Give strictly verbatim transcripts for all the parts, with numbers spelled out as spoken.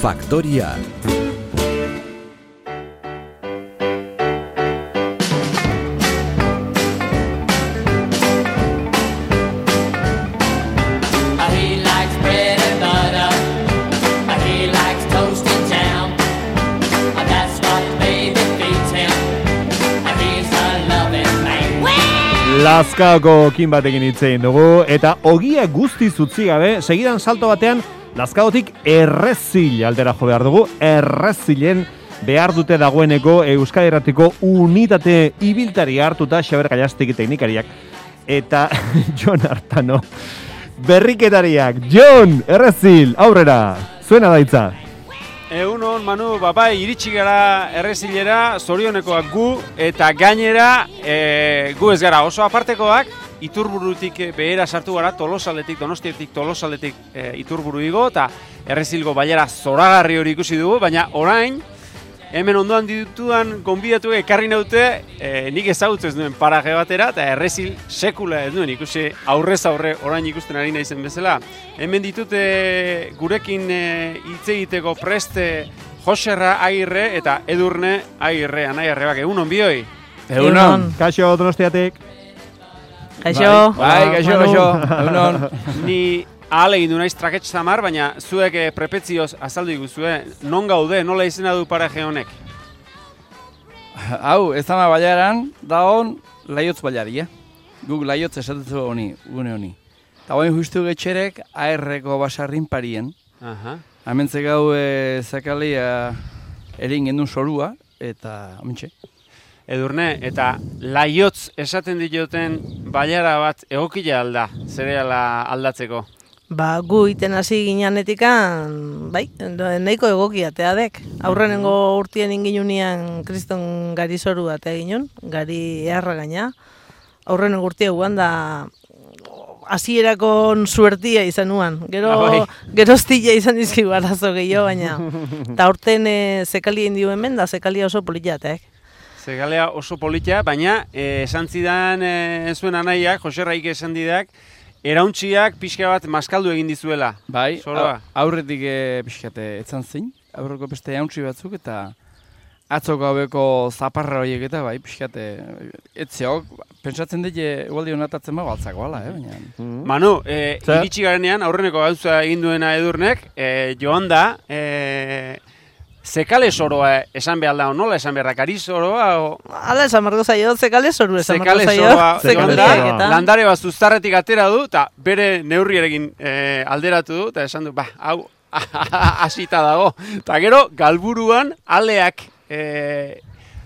Faktoria. Lazkaoko kin batekin hitzein dugu, eta ogia guztiz utzi gabe, segidan salto batean, Lazkaotik Errezil aldera jo behar dugu, Errezilen behar dute dagoeneko Euskadi Irratiko unitate ibiltari hartuta Xaber Gallastegi teknikariak, eta Jon Artano berriketariak. Jon, Errezil, aurrera, zuena daitza. Egunon, Manu, babai, iritsi gara Errezilera, zorionekoak gu, eta gainera e, gu ez gara oso apartekoak, Iturburutik behera sartu gara, Tolosaletik, Donostietik, Tolosaletik e, Iturburu igo, eta Errezilgo bailara zoragarri hori ikusi dugu, baina orain, hemen ondoan ditudan gonbidatu ekarri naute, e, nik ezagutzen ez duen paraje batera, eta Errezil sekula ez duen ikusi aurrez aurre orain ikusten ari naizen bezala. Hemen ditute gurekin hitz e, egiteko preste Joserra Agirre eta Edurne Agirre, Anai Arrebak, egunon bioi? Egunon, kaixo Donostiatik. Kaixo. Bai, kaixo, kaixo. Egunon. Ni ahal egin du naiz trakets zamar, baina zuek e, prepetzioz azaldu iguzue, non gaude, nola izena du paraje honek? Hau, ez ama baiaran, da hon laiotz baiari, eh? Guk laiotz esatezu honi, gune honi. Eta hoin justu getxerek, aerreko basarrin parien. Aha. Hementze gau e, zakalia erin gendun sorua, eta amintxe. Edurne, eta laiotz esaten dioten baiara bat egokila alda, zereala aldatzeko? Ba, gu iten hasi gineanetikan, bai, nahiko egokiatea dek. Aurrenengo urtien inginunian kriston gari zoru batea ginen, gari eharra gaina. Aurrenengo urtia guan da hasierako suertia izan nuan. Gero, ah, geroztila izan dizkigu arazo gehiago, baina. Eta aurten e, zekalia indio hemen da, zekalia oso poliateak. Zekalea oso politia, baina e, esan zidan e, zuen anaiak, Joserraik esan didak, erauntziak pixka bat maskaldu egin dizuela. Bai, aurretik e, pixkate etzan zein, aurreko beste jauntzi batzuk, eta atzoko haueko zaparra horiek eta bai, pixkate etzeok, pentsatzen dut egualdi honatatzen bago altzako ala, eh, baina. Mm-hmm. Manu, e, iritsi garenean, aurreneko gauza egin duena Edurnek, e, joan da, e, zekale soroa esan behar da, nola esan behar da, kari soroa? O... Hala esan margo zaio, zekale soru esan margo zaio. Zekale soroa, landare bat zuztarretik atera du, eta bere neurrierekin e, alderatu du, eta esan du, ba, hau, hasita dago. Eta gero, galburuan, aleak e,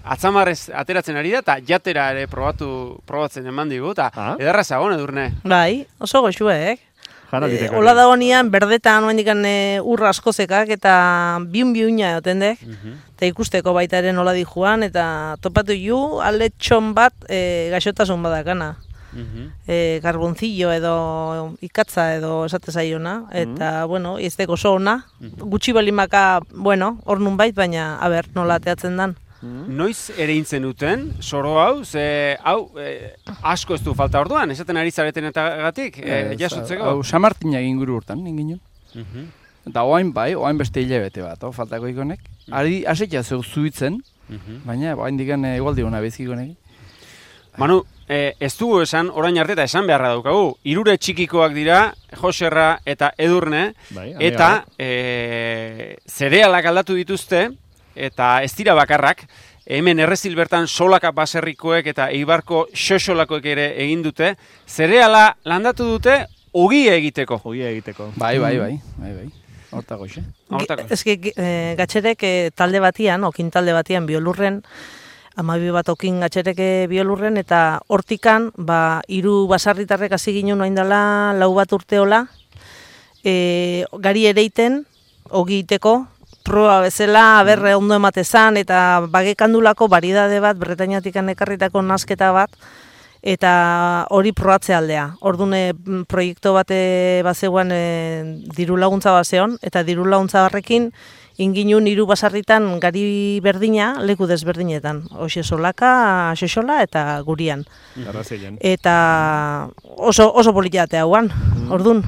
atzamarrez ateratzen ari da, eta jatera ere probatu, probatzen eman digu, eta ah? Ederra zagon, Edurne. Bai, oso goxuek. E, Ola da honian, berdetan oendikan e, urra askozekak eta biun-biuna egoten dek. Uh-huh. Eta ikusteko baita ere nola di joan, eta topatu ju, aletxon bat e, gaixotasun badakana. Uh-huh. E, karbonzillo edo ikatza edo esate zaiona. Eta, uh-huh. bueno, ez deko oso ona. Uh-huh. Gutxi balimaka, bueno, hor nun bait, baina, aber, nola ateatzen dan. Noiz ere intzen duten, soro hau, ze hau e, asko ez du falta orduan, esaten ari zaretenetatik, e, jasutzeko? Hau, Samartina egin guru urtan, ingin uh-huh. Eta oain bai, oain beste hilabete bat, oh, faltako ikonek. Uh-huh. Ari, asekia zeu zuitzen, uh-huh. baina oain digan egualdi hona bezikonek. Manu, e, ez dugu esan, orain arte eta esan beharra daukagu, hirure txikikoak dira, Joserra eta Edurne, bai, eta e, zerealak aldatu dituzte, eta ez dira bakarrak, hemen Errezil bertan Solaka baserrikoek eta Eibarko xoxolakoek ere egin dute, zereala landatu dute ogia egiteko. Ogia egiteko. Bai, bai, bai, bai, bai. Hortako, xe. Ez que e, gatxerek e, talde batian, okin talde batian biolurren, amabi bat okin gatxerek biolurren, eta hortikan, ba, hiru basarritarrek hasi ginen oain dela, lau bat urteola, e, gari ereiten, ogi egiteko, proba bezala, aberre ondo ematezan, eta bagekandulako baridade bat, Bretañatikan ekarritako nasketa bat, eta hori probatze aldea. Orduan proiektu bate bazegoan e, diru laguntza bazeon, eta diru laguntza barrekin inginun hiru basarritan gari berdina, leku desberdinetan. Hoxe Solaka, Xoxola eta Gurian. Mm. Eta oso, oso politate hauan, mm. Orduan.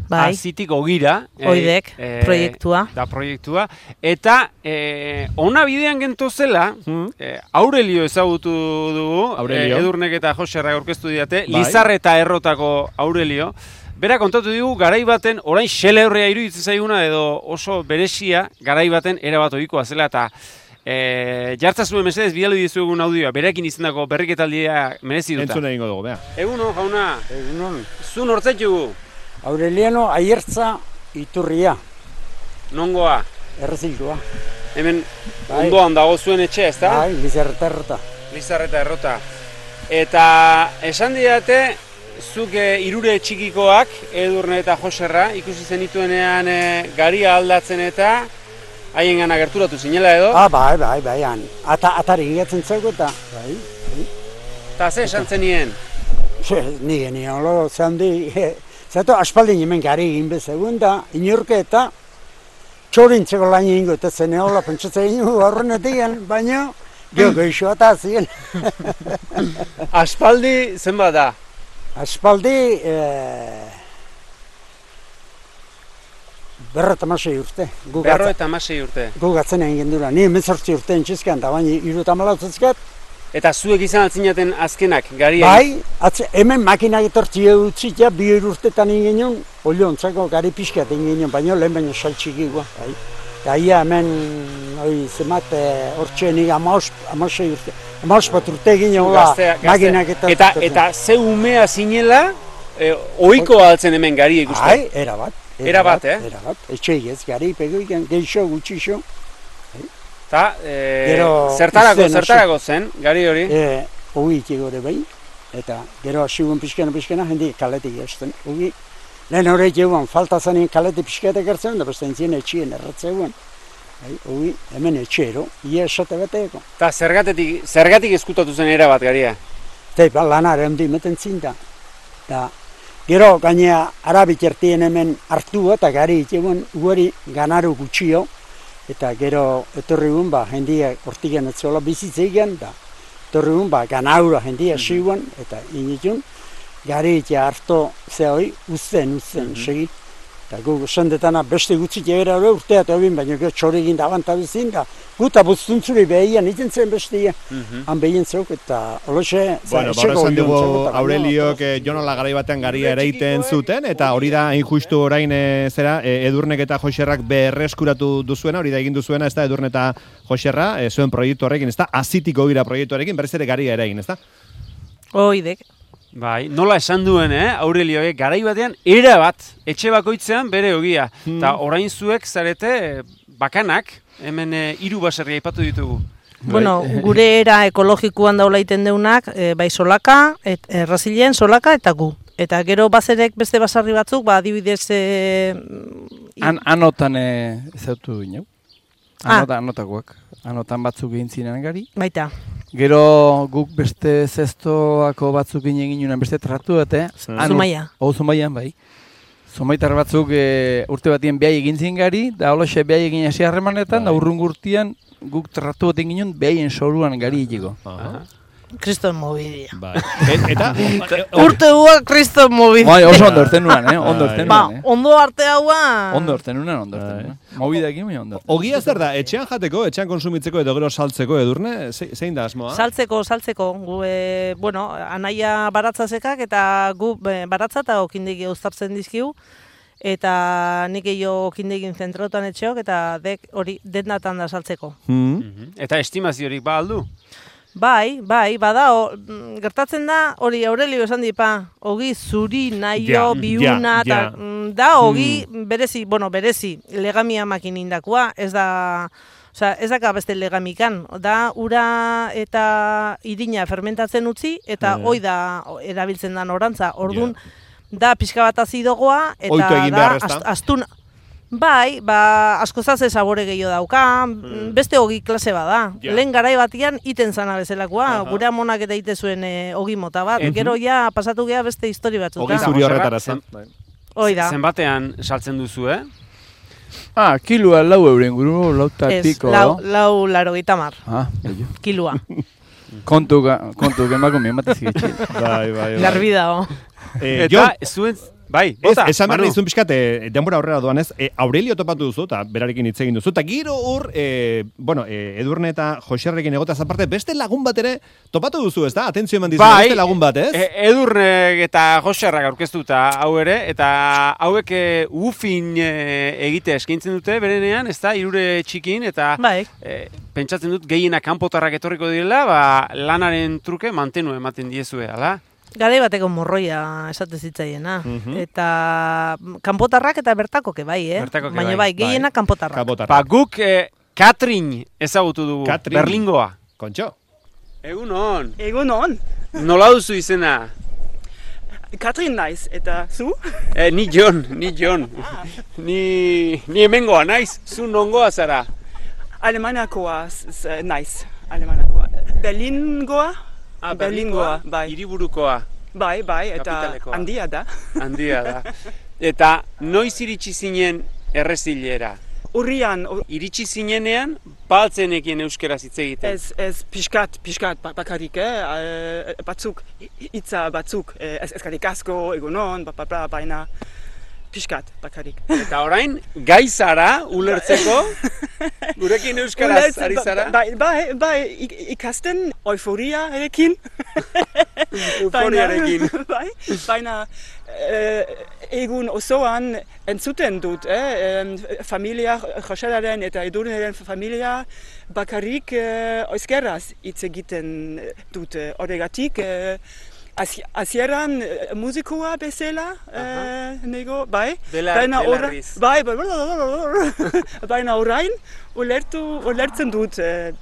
bai. Azitik ogira. Oidek, eh, proiektua. Da proiektua. Eta eh, ona bidean gentozela, Hmm. eh, Aurelio ezagutu dugu, Aurelio. eh, Edurnek eta Joserrak aurkeztu diate, Bai. Lizarreta errotako Aurelio. Bera kontatu digu, garai baten, orain xele horrea iruditzen zaiguna, edo oso beresia, garai baten erabat ohikoa zela, eta e, jartza zuen mesedez bidali dizuegun audioa, berekin izendako berriketaldia merezi duta. Entzun egingo dugu, bea. Eguno, jauna, Egunon, zu nortzaitugu, Aureliano Aiertza Iturria, nongoa, erreziltua. hemen Bai. ondoan dago zuen etxe, ezta? Bai, Lizarreta errota. Lizarreta errota. Eta esan didate, zuk e, irure txikikoak, Edurne eta Joserra, ikusi zenituenean e, garia aldatzen eta haien gana gerturatu zinela edo. Ah, bai, bai, bai, han. Ata, atari ingatzen zego eta, bai, bai. Eta ze esan zenien? Ze, ni genion, lo, zehandi, zato aspaldin hemen gari egin bezegun da, inorke eta txorintzeko lan egingo eta zene hola pentsatzen egin horrenetik, baina geho geixo eta zien. Aspaldi zenbat da? Aspaldi, eh, berro eta masei urte. Gu Berro gatza- eta hamasei urte. Gu gatzen egin gendura, ni hemezortzi urte entxizkan, da baina iru eta malautzezkat. Eta zuek izan altzinaten azkenak, garia. Bai, atze, hemen makinak etortzi utzi ja, bi hiru urtetan egin genuen, oliontzako gari pixkat egin genuen, baina lehen baino saltxikigua. Bai. Eta ia hemen, oi, zemat, hortxe nik amasei urte, amaos bat urte egin Zu hola, gaztea- gaztea. makinak etortzi. Eta, eta ze umea zinela, e, ohiko altzen hemen garia ikusten. Bai, erabat. Erabat, eh? Erabat, etxe ez, gari pego ikan, geixo, gutxixo. Eta, e, Gero, zertarako, izten hasi. zertarako zen, gari hori? E, Ogi ikigore behin, eta gero hasigun pixkena pixkena, jendi kaletik esten. Ogi, lehen horrek eguan, falta zanien kalete pixketak ertzen, da beste entzien etxien erratzeguan. Ogi, hemen etxero, ia esate bateeko. Eta zergatetik, zergatik eskutatu zen erabat garia? Eta ba, lanare handi meten zinta. Da, gero gainea arabik ertien hemen hartua eta gari iteguan guari ganaru gutxio. Eta gero etorri gun, ba, jendia hortigen etzola bizitzeigen, da etorri gun, ba, ganaura jendia siguan, eta initun, gari itea harto zehoi, uzten, uzten, segi. Eta gu sendetana beste gutzik egera hori urtea eta hobin, baina gero txori egin da abantabizin, da guta buztuntzuri behian iten zen bestia, han behien zeuk, eta oloxe, Bueno, ba, esan dugu Aureliok eh, Jonola garai batean garia ereiten zuten, eta hori da hain justu orain eh, zera, eh, Edurnek eta Joserrak berreskuratu duzuena, hori da egin duzuena, ez da, Edurne eta Joserra, eh, zuen proiektu horrekin, ez da, azitiko gira proiektuarekin, berriz ere garia erain, ez da? Oidek. Bai, nola esan duen, eh, Aurelioek, garai batean, era bat, etxe bakoitzean bere ogia. Eta orain zuek zarete eh, bakanak, hemen eh, hiru baserri aipatu ditugu. Bueno, gure era ekologikoan daula iten deunak, e, bai solaka, et, errazilen solaka eta gu. Eta gero bazerek beste basarri batzuk, ba, adibidez... E, An, anotan e, ezautu gineu. Ah. Anota, anotakoak. Anotan batzuk egin ziren gari. baita. Gero guk beste zestoako batzuk egin ginen beste tratu bate. Zumaia. Hau Zumaian, bai. Zumaitar batzuk e, urte batien behai egin ziren gari, da holoxe behai egin hasi harremanetan, da urrun gurtian guk tratu baten ginen behaien soruan gari egiko. Kriston mobidia. Bai. E, eta, Urte hua kriston mobidia. Bai, oso ondo erten nuan, eh? Ondo Bai. erten Ba, nuan, eh? ondo arte haua... Ondo erten nuan, ondo erten nuan. Mobidak egin, ondo erten. ogia zer da, etxean jateko, etxean konsumitzeko edo gero saltzeko, Edurne, Ze, zein da asmoa? Saltzeko, saltzeko. Gu, e, bueno, anaia baratzazekak eta gu e, baratza eta okindegi uztartzen dizkigu. Eta nik eio okindegin zentrautan etxeok eta dek hori dendatan da saltzeko. Hmm. Eta estimaziorik ba aldu? Bai, bai, bada, o, mm, gertatzen da, hori Aurelio esan dipa, ogi zuri, naio, Ja, biuna, ja, eta ja. mm, da, ogi berezi, bueno, berezi, legamia makinindakua, ez da, osea, ez daka beste legamikan, da, ura eta irina fermentatzen utzi, eta Ja. hoi da erabiltzen da norantza, ordun, da pixka bat azidogoa, eta Ohitu egin da, behar, ezta? ast- astun, bai, ba, askozaze sabore gehiago dauka, beste ogi klase bada. Ja. Lehen garai batian iten zana bezalakoa, Aha. gure amonak eta ite zuen e, ogi mota bat. Gero ja pasatu gea beste histori batzuta. Ogi zuri horretara zen. Hoi da. Zenbatean saltzen duzu, eh? Ah, kilua lau euren guru, lau eta Ez, piko. lau, lau laro gitamar, Ah, bello. kilua. Kontu, ga- kontu, gemako mi ematez gitxi. Bai, bai, bai. Garbi dago. Eh, Eta zuen, Bai, Ez, bota, esan behar Manu. nizun pixkat, e, denbora aurrera doan ez, e, Aurelio topatu duzu, eta berarekin hitz egin duzu, eta giro hor, e, bueno, e, Edurne eta Joserrekin egotaz aparte, beste lagun bat ere topatu duzu, ez da? Atentzio eman dizu, Bai, beste lagun bat, ez? e, Edurnek eta Joserrak aurkeztuta hau ere, eta hauek e, ufin e, egite eskaintzen dute berenean, ez da, irure txikin, eta Bai. e, pentsatzen dut gehienak kanpotarrak etorriko direla, ba, lanaren truke mantenu ematen diezue, ala? Garai bateko morroia esate zitzaiena. Mhm. Eta kanpotarrak eta bertakoke bai, eh? Bertakoke Baina bai. bai, gehienak kanpotarrak. Kabotarra. Ba, guk e, Katrin ezagutu dugu, Katrin. Berlingoa. Kontxo. Egun hon, Egun on, nola duzu izena? Katrin naiz, eta zu? E, ni Jon, ni Jon. Ni, ni hemengoa naiz, zu nongoa zara. Alemanakoa z- z- naiz, Alemanakoa. Berlingoa? Ah, Berlingoa, bai. Hiriburukoa, Bai, bai, eta Kapitalekoa. handia da. handia da. Eta noiz iritsi zinen errezilera? Urrian, u- Iritsi zinenean, baltzenekien euskeraz hitz egiten. ez, ez pixkat, pixkat ba- bakarrik, eh? eh, batzuk, hi- hitza batzuk, eh, ez eskarrik asko, egunon, ba, ba, ba, baina pixkat bakarrik. Eta orain, gai zara, ulertzeko, gurekin euskaraz Ulertzen, ari ba- zara? Bai, bai, bai, ik- ikasten euforiarekin. Euforiarekin. Baina, bai, baina eh, egun osoan entzuten dut, eh? em, familia, Joselaren eta Edurneren familia bakarrik eh, euskeraz hitz egiten dute. Horregatik, eh, hasi- hasieran eh, musikoa bezala, eh, nego, bai, Bela- baina ora- belarriz. bai, bai, baina orain ulertu, ulertzen dut eh,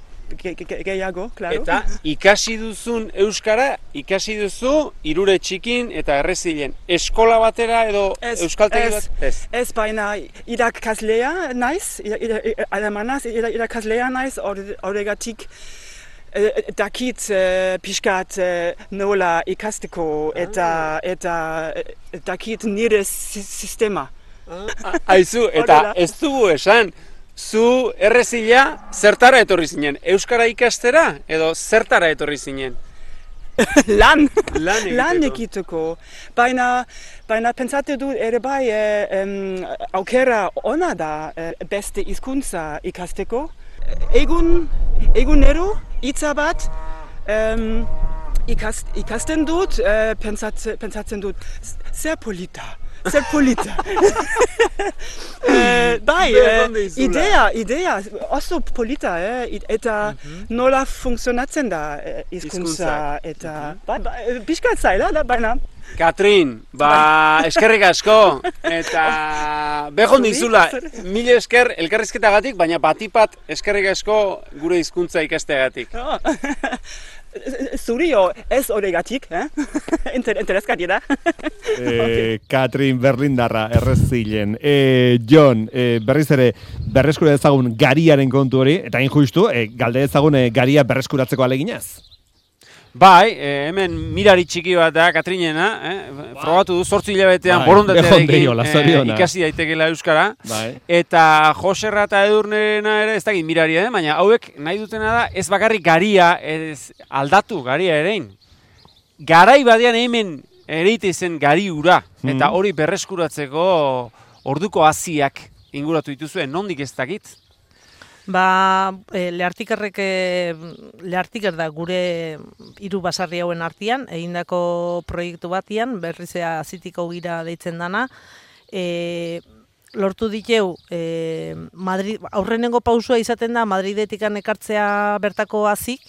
ge- ge- gehiago, claro. Eta ikasi duzun euskara, ikasi duzu irure txikin eta errezilen. Eskola batera edo Ez, euskaltegi ez. bat? Ez. Ez baina irakaslea naiz, ira- ira- ira- alemanaz ira- irakaslea naiz, hor- horregatik eh, dakit eh, pixkat eh, nola ikasteko eta, eta eh, dakit nire si- sistema. A- Aizu, eta Horrela. ez dugu esan, zu errezila zertara etorri zinen? Euskara ikastera edo zertara etorri zinen? Lan, Lan egiteko. lan egiteko. Baina, baina pentsatu dut ere bai eh, em, aukera ona da eh, beste hizkuntza ikasteko. Egun, egunero hitza bat em, ikast, ikasten dut, eh, pentsat, pentsatzen dut, "Z- zer polita. Zer polita. eh, bai, eh, Berdonde izula. idea, idea, oso polita, eh, i- eta nola funtzionatzen da eh, hizkuntza, Hizkuntzak. eta ba, ba, eh, pixkat zaila da, baina. Katrin, ba, eskerrik asko, eta behon dizula, mil esker elkarrizketagatik, baina batipat eskerrik asko gure hizkuntza ikasteagatik. Oh. Zurio ez horregatik, eh? Inter, interesgarria da. E, Katrin Berlindarra errezilen. E, Jon, e, berriz ere berreskura ezagun gariaren kontu hori, eta injustu, e, galde ezagun e, garia berreskuratzeko aleginaz. Bai, eh, hemen mirari txiki bat da, Katrinena, eh? Frogatu du, zortzi hilabetean Bai, borondatearekin behondeiola, zoriona. ikasi daitekela euskara. Bai. Eta Joserra eta Edurnena ere ez dakit miraria, eh? Baina hauek nahi dutena da ez bakarrik garia ez aldatu garia erein. Garai badean hemen ereite zen gari ura, eta hori berreskuratzeko orduko haziak inguratu dituzue, nondik ez dakit? Ba, e, lehartikerrek, e, lehartiker da gure hiru basarri hauen artean, egindako proiektu batian, berrizea azitiko gira deitzen dana, e, lortu diteu, e, Madrid, aurrenengo pausua izaten da, Madridetikan ekartzea bertako hazik,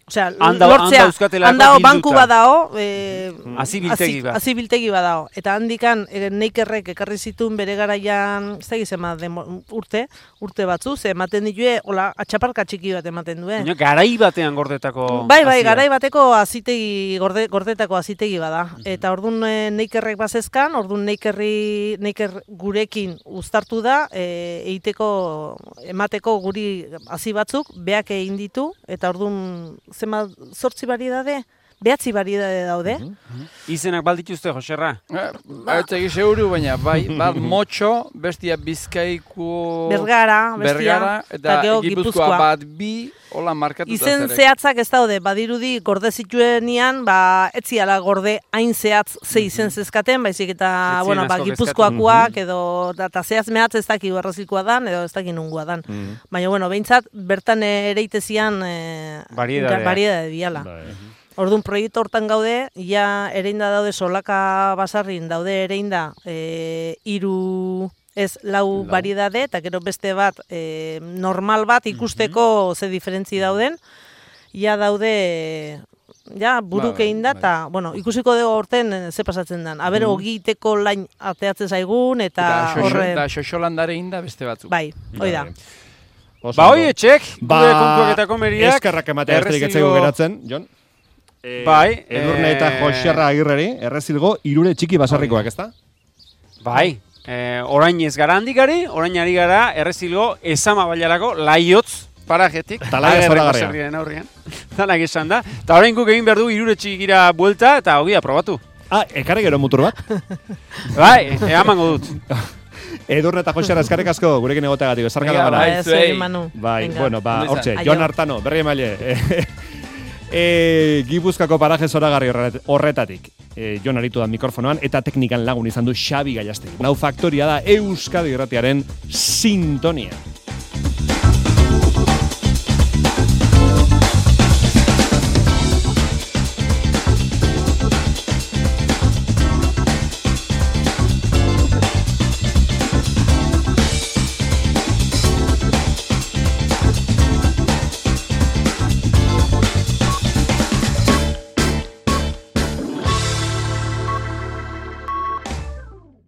osea, Handa- lortzea, handa euskatelako handao bilduta. banku badao, e, Hazi biltegi bat. hazi biltegi badao, eta handikan e, neikerrek ekarri zituen bere garaian, ez da gizema, urte, urte batzu, ze ematen ditue, hola, atxaparka txiki bat ematen duen. Baina garai batean gordetako Bai, bai, hazia. garai bateko azitegi, gorde, gordetako azitegi bada. Eta ordun e, neikerrek bazezkan, ordun neikerri, neiker gurekin uztartu da, e, egiteko, emateko guri hazi batzuk, beak egin ditu, eta ordun zema zortzi bari dade, behatzi variedade daude. Izenak baldituzte, Joserra? Ez egi seguru, baina bai, bat motxo, bestia Bizkaiku... Bergara, bestia, Bergara, eta gero Gipuzkoa bat bi, hola markatuta Izen zerek. zehatzak ez daude, badirudi gorde zituenian, ba, etziala gorde hain zehatz ze izen zezkaten, baizik eta, Etzien bueno, ba, asko Gipuzkoakoak, edo, eta zehatz mehatz ez daki errazikoa dan, edo ez daki nungua dan. Baina, bueno, behintzat, bertan ereitezian e, Variedadea. variedade diala. Orduan, proiektu hortan gaude, ja ereinda daude solaka basarrin, daude ereinda e, iru ez lau variedade, eta gero beste bat e, normal bat ikusteko ze diferentzi dauden, ja daude ja buruk egin da, eta, bueno, ikusiko dugu horten ze pasatzen den. Aber, ogiteko lain ateatzen zaigun, eta horre... Eta xoxolandare inda beste batzuk. Bai, hoi da. Ba, hoi etxek, Ba, gure kontuak eta komeriak. eskerrak ematea esterik etzaigu geratzen, Jon. E, Bai, Edurne eta eh, Joserra Agirreri, errezilgo, irure txiki basarrikoak, ezta? Bai, eh, orain ez gara handigari, orain ari gara errezilgo esama bailarako laiotz parajetik. Talaia Agerreko zoragarria. zerriaren aurrean. Danak esan da. Eta orain guk egin behar du irure txikira buelta eta hogia probatu. Ah, ekarri gero mutur bat. Bai, e, amango dut. Edurne eta Joserra eskarrik asko gurekin egoteagatik, esarka da Venga, bana. bai. Ez, zuei. egin, Manu. Bai, Venga. bueno, ba, Ondo izan. hortxe, Aio. Jon Artano, berri emaile. E, Gipuzkako paraje zoragarri horret- horretatik. E, Jon aritu da mikrofonoan eta teknikan lagun izan du Xabi Gallastegi. Nau faktoria da Euskadi Irratiaren sintonia.